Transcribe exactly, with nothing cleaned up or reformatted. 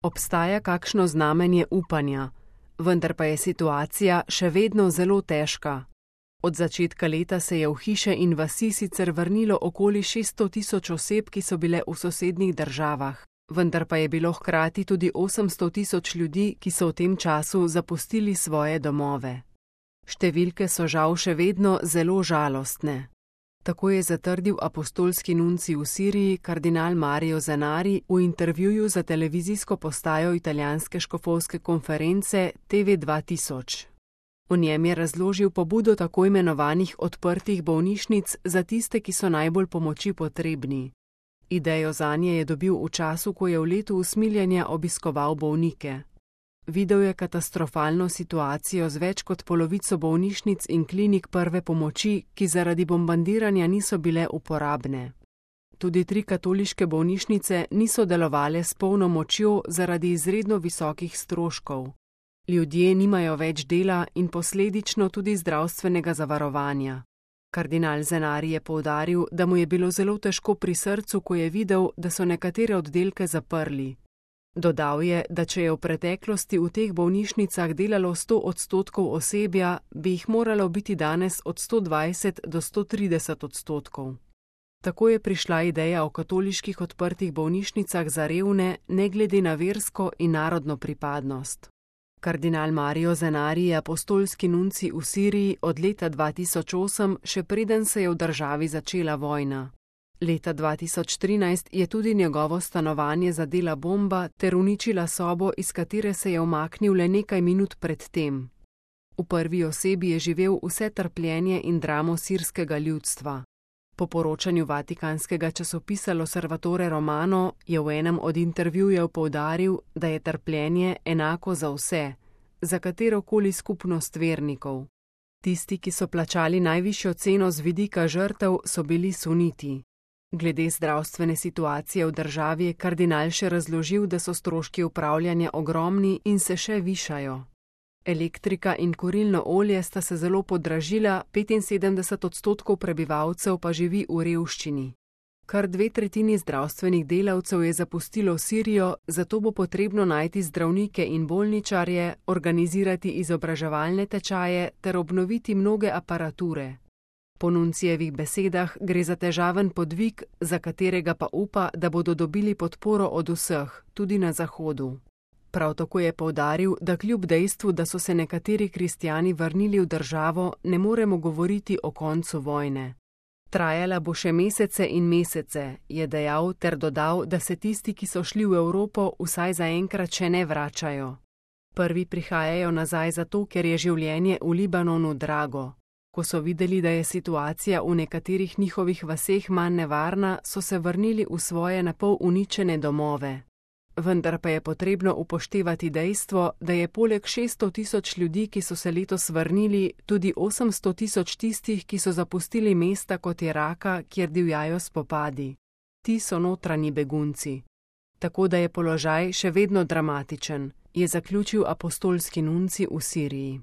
Obstaja kakšno znamenje upanja, vendar pa je situacija še vedno zelo težka. Od začetka leta se je v hiše in vasi sicer vrnilo okoli šeststo tisoč oseb, ki so bile v sosednjih državah, vendar pa je bilo hkrati tudi osemsto tisoč ljudi, ki so v tem času zapustili svoje domove. Številke so žal še vedno zelo žalostne. Tako je zatrdil apostolski nuncij v Siriji kardinal Mario Zenari v intervjuju za televizijsko postajo italijanske škofovske konference T V dva tisoč. V njem je razložil pobudo tako imenovanih odprtih bolnišnic za tiste, ki so najbolj pomoči potrebni. Idejo zanje je dobil v času, ko je v letu usmiljenja obiskoval bolnike. Videl je katastrofalno situacijo z več kot polovico bolnišnic in klinik prve pomoči, ki zaradi bombardiranja niso bile uporabne. Tudi tri katoliške bolnišnice niso delovale s polno močjo zaradi izredno visokih stroškov. Ljudje nimajo več dela in posledično tudi zdravstvenega zavarovanja. Kardinal Zenari je poudaril, da mu je bilo zelo težko pri srcu, ko je videl, da so nekatere oddelke zaprli. Dodal je, da če je v preteklosti v teh bolnišnicah delalo sto odstotkov osebja, bi jih moralo biti danes od sto dvajset do sto trideset odstotkov. Tako je prišla ideja o katoliških odprtih bolnišnicah za revne, ne glede na versko in narodno pripadnost. Kardinal Mario Zenari je apostolski nuncij v Siriji od leta dva tisoč osem, še preden se je v državi začela vojna. Leta dva tisoč trinajst je tudi njegovo stanovanje zadela bomba ter uničila sobo, iz katere se je umaknil le nekaj minut pred tem. V prvi osebi je živel vse trpljenje in dramo sirskega ljudstva. Po poročanju vatikanskega časopisa L'Osservatore Romano je v enem od intervjujev poudaril, da je trpljenje enako za vse, za katerokoli skupnost vernikov. Tisti, ki so plačali najvišjo ceno z vidika žrtev, so bili suniti. Glede zdravstvene situacije v državi je kardinal še razložil, da so stroški upravljanja ogromni in se še višajo. Elektrika in kurilno olje sta se zelo podražila, petinsedemdeset odstotkov prebivalcev pa živi v revščini. Kar dve tretjini zdravstvenih delavcev je zapustilo Sirijo, zato bo potrebno najti zdravnike in bolničarje, organizirati izobraževalne tečaje ter obnoviti mnoge aparature. Po nuncijevih besedah gre za težaven podvig, za katerega pa upa, da bodo dobili podporo od vseh, tudi na Zahodu. Prav tako je poudaril, da kljub dejstvu, da so se nekateri kristjani vrnili v državo, ne moremo govoriti o koncu vojne. Trajala bo še mesece in mesece, je dejal ter dodal, da se tisti, ki so šli v Evropo, vsaj zaenkrat še ne vračajo. Prvi prihajajo nazaj zato, ker je življenje v Libanonu drago. Ko so videli, da je situacija v nekaterih njihovih vaseh manj nevarna, so se vrnili v svoje napol uničene domove. Vendar pa je potrebno upoštevati dejstvo, da je poleg šeststo tisoč ljudi, ki so se letos vrnili, tudi osemsto tisoč tistih, ki so zapustili mesta kot je Raka, kjer divjajo spopadi. Ti so notranji begunci. Tako da je položaj še vedno dramatičen, je zaključil apostolski nuncij v Siriji.